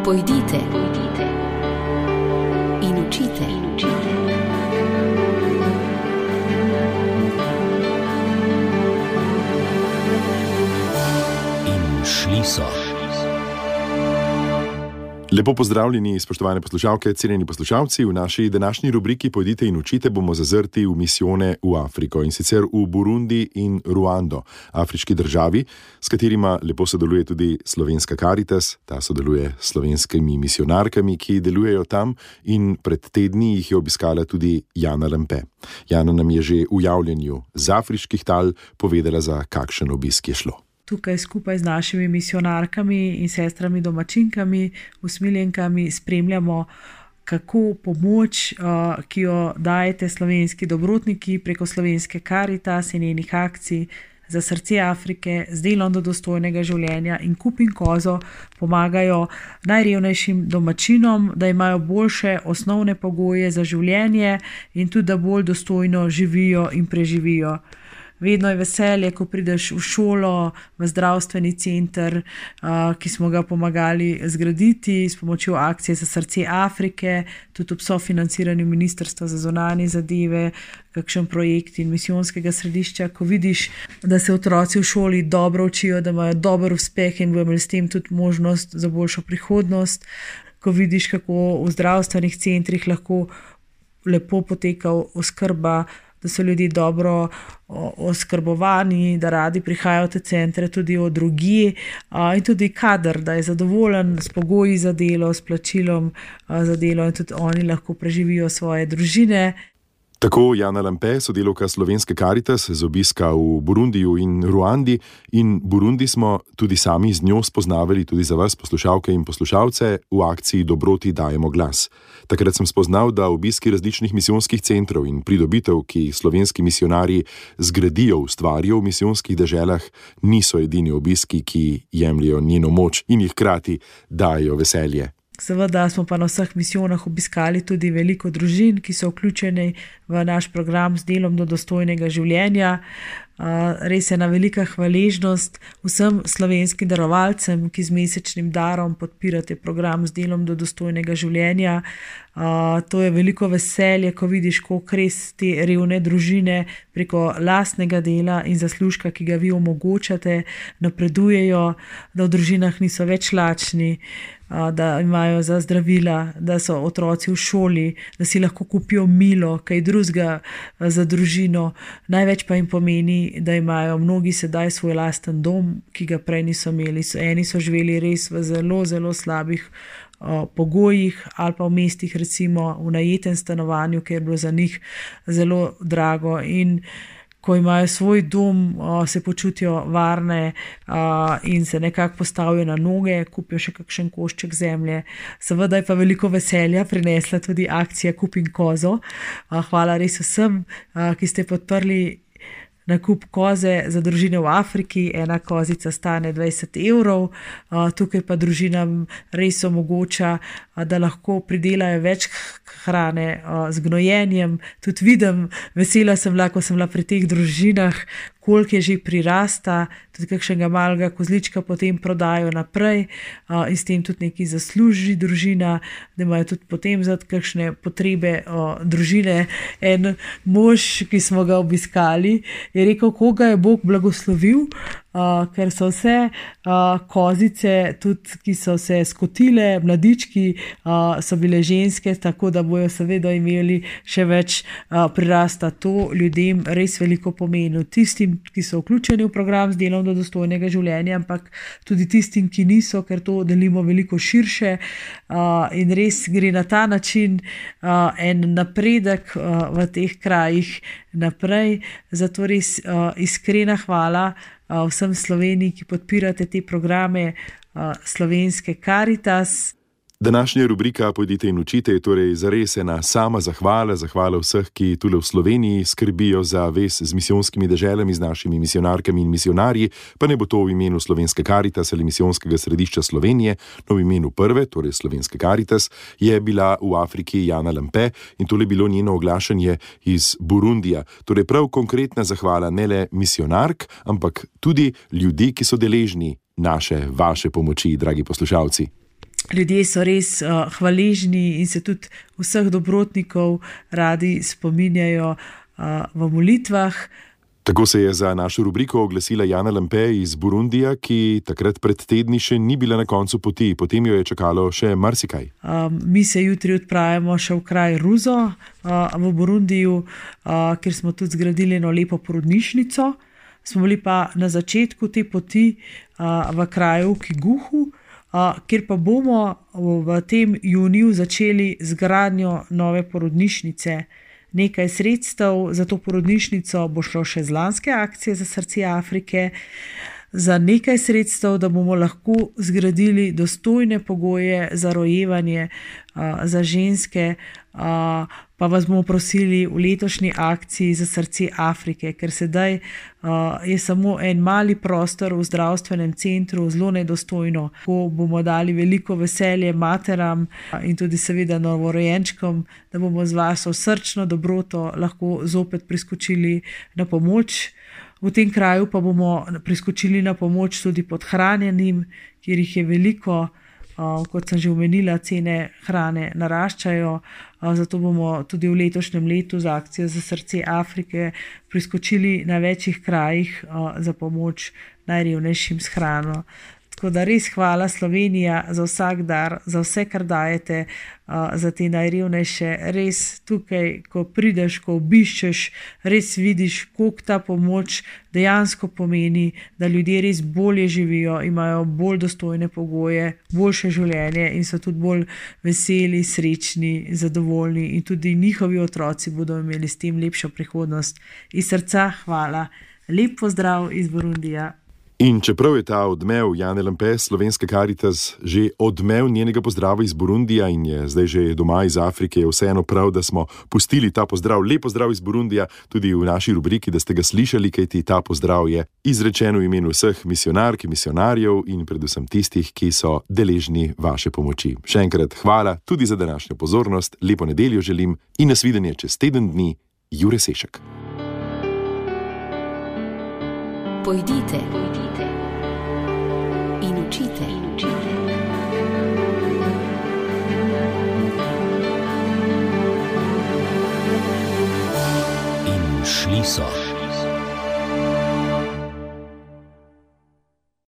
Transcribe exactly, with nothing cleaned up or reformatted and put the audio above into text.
Pojdite, pojdite in učite, in učite. In šli so. Lepo pozdravljeni, spoštovane poslušalke, cenjeni poslušalci. V naši današnji rubriki Pojdite in učite bomo zazrti v misijone v Afriko, in sicer v Burundi in Ruando, afriški državi, s katerima lepo sodeluje tudi slovenska Karitas. Ta sodeluje s slovenskimi misionarkami, ki delujejo tam, in pred tedni jih je obiskala tudi Jana Lampe. Jana nam je že v javljenju z afriških tal povedala, za kakšen obisk je šlo. Tukaj skupaj z našimi misionarkami in sestrami domačinkami, usmiljenkami spremljamo, kako pomoč, ki jo dajete slovenski dobrotniki preko slovenske Karitas in njenih akcij za srce Afrike, z delom do dostojnega življenja in Kup in Kozo pomagajo najrevnejšim domačinom, da imajo boljše osnovne pogoje za življenje in tudi, da bolj dostojno živijo in preživijo. Vedno je veselje, ko prideš v šolo, v zdravstveni center, ki smo ga pomagali zgraditi s pomočjo akcije za srce Afrike, tudi ob sofinanciranju Ministrstva za zunanje zadeve, kakšen projekt in misijonskega središča, ko vidiš, da se otroci v šoli dobro učijo, da imajo dober uspeh in bodo imeli s tem tudi možnost za boljšo prihodnost, ko vidiš, kako v zdravstvenih centrih lahko lepo poteka oskrba, da so ljudje dobro oskrbovani, da radi prihajajo v te centre tudi od drugje, in tudi kader, da je zadovoljen s pogoji za delo, s plačilom za delo, in tudi oni lahko preživijo svoje družine. Tako Jana Lampe, sodelavka slovenske Karitas, z obiska v Burundiju in Ruandi, in Burundi smo tudi sami z njo spoznavali tudi za vas, poslušalke in poslušalce, v akciji Dobroti dajemo glas. Takrat sem spoznal, da obiski različnih misijonskih centrov in pridobitev, ki jih slovenski misionarji zgradijo, ustvarijo v misijonskih deželah, niso edini obiski, ki jemljejo njeno moč in jih hkrati dajo veselje. Seveda smo pa na vseh misijonah obiskali tudi veliko družin, ki so vključeni v naš program z delom do dostojnega življenja. Res je ena velika hvaležnost vsem slovenskim darovalcem, ki z mesečnim darom podpirate program z delom do dostojnega življenja. To je veliko veselje, ko vidiš, koliko res te revne družine preko lastnega dela in zaslužka, ki ga vi omogočate, napredujejo, da v družinah niso več lačni, da imajo za zdravila, da so otroci v šoli, da si lahko kupijo milo, kaj drugega za družino. Največ pa jim pomeni, da imajo mnogi sedaj svoj lasten dom, ki ga prej niso imeli. Eni so živeli res v zelo, zelo slabih pogojih, ali pa v mestih, recimo v najetem stanovanju, ker je bilo za njih zelo drago, in ko imajo svoj dom, se počutijo varne in se nekako postavijo na noge, kupijo še kakšen košček zemlje. Seveda je pa veliko veselja prinesla tudi akcija Kup in Kozo. Hvala res vsem, ki ste podprli nakup koze za družine v Afriki. Ena kozica stane dvajset evrov, tukaj pa družinam res omogoča, da lahko pridelajo več hrane z gnojenjem. Tudi vidim, vesela sem bila, ko sem bila pri teh družinah, koliko je že prirasta, tudi kakšnega malega kozlička potem prodajo naprej in s tem tudi nekaj zasluži družina, da imajo tudi potem za kakšne potrebe družine. En mož, ki smo ga obiskali, je rekel, koga je Bog blagoslovil, ker so vse kozice, tudi ki so se skotile, mladički, so bile ženske, tako da bojo seveda imeli še več prirasta. To ljudem res veliko pomeni. Tistim, ki so vključeni v program z delom do dostojnega življenja, ampak tudi tistim, ki niso, ker to delimo veliko širše, in res gre na ta način en napredek v teh krajih naprej. Zato res iskrena hvala vsem Sloveniji, ki podpirate te programe slovenske Karitas. Današnja rubrika Pojdite in učite je torej zares ena sama zahvala, zahvala vseh, ki tule v Sloveniji skrbijo za vez z misijonskimi deželami, z našimi misionarkami in misionarji, pa ne bo to v imenu slovenske Karitas ali misijonskega središča Slovenije, no v imenu prve, torej slovenske Karitas, je bila v Afriki Jana Lampe in tole bilo njeno oglašanje iz Burundija. Torej prav konkretna zahvala ne le misionark, ampak tudi ljudi, ki so deležni naše, vaše pomoči, dragi poslušalci. ljudje so res uh, hvaležni in se tudi vseh dobrotnikov radi spominjajo uh, v molitvah. Tako se je za našo rubriko oglasila Jana Lampe iz Burundija, ki takrat pred tedni še ni bila na koncu poti, potem jo je čakalo še marsikaj. Um, mi se jutri odpravimo še v kraj Ruzo uh, v Burundiju, uh, kjer smo tudi zgradili eno lepo porodnišnico. Smo bili pa na začetku te poti uh, v kraju Kiguhu, uh, kjer pa bomo v tem juniju začeli z gradnjo nove porodnišnice. Nekaj sredstev za to porodnišnico bo šlo še z lanske akcije za srce Afrike, za nekaj sredstev, da bomo lahko zgradili dostojne pogoje za rojevanje uh, za ženske, uh, pa vas bomo prosili v letošnji akciji za srce Afrike, ker sedaj uh, je samo en mali prostor v zdravstvenem centru, zelo nedostojno, ko bomo dali veliko veselje materam in tudi seveda novorojenčkom, da bomo z vašo srčno dobroto lahko zopet priskočili na pomoč. V tem kraju pa bomo priskočili na pomoč tudi podhranjenim, kjer jih je veliko. Uh, kot sem že omenila, cene hrane naraščajo, uh, zato bomo tudi v letošnjem letu za akcijo za srce Afrike priskočili na večjih krajih uh, za pomoč najrevnejšim s hrano. Tako da res hvala Slovenija za vsak dar, za vse, kar dajete, uh, za te najrevnejše. Res tukaj, ko prideš, ko obiščeš, res vidiš, koliko ta pomoč dejansko pomeni, da ljudje res bolje živijo, imajo bolj dostojne pogoje, boljše življenje in so tudi bolj veseli, srečni, zadovoljni in tudi njihovi otroci bodo imeli s tem lepšo prihodnost. Iz srca hvala. Lep pozdrav iz Burundija. In čeprav je ta odmev Jane Lampe, Slovenska Karitas, že odmev njenega pozdrava iz Burundija in je zdaj že doma iz Afrike, je vseeno prav, da smo pustili ta pozdrav, lep pozdrav iz Burundija, tudi v naši rubriki, da ste ga slišali, kajti ta pozdrav je izrečen v imenu vseh misionark, misionarjev in predvsem tistih, ki so deležni vaše pomoči. Še enkrat hvala tudi za današnjo pozornost, lepo nedeljo želim in nasvidenje čez teden dni, Jure Sešek. Pojdite, pojdite in učite, in učite. In šli so.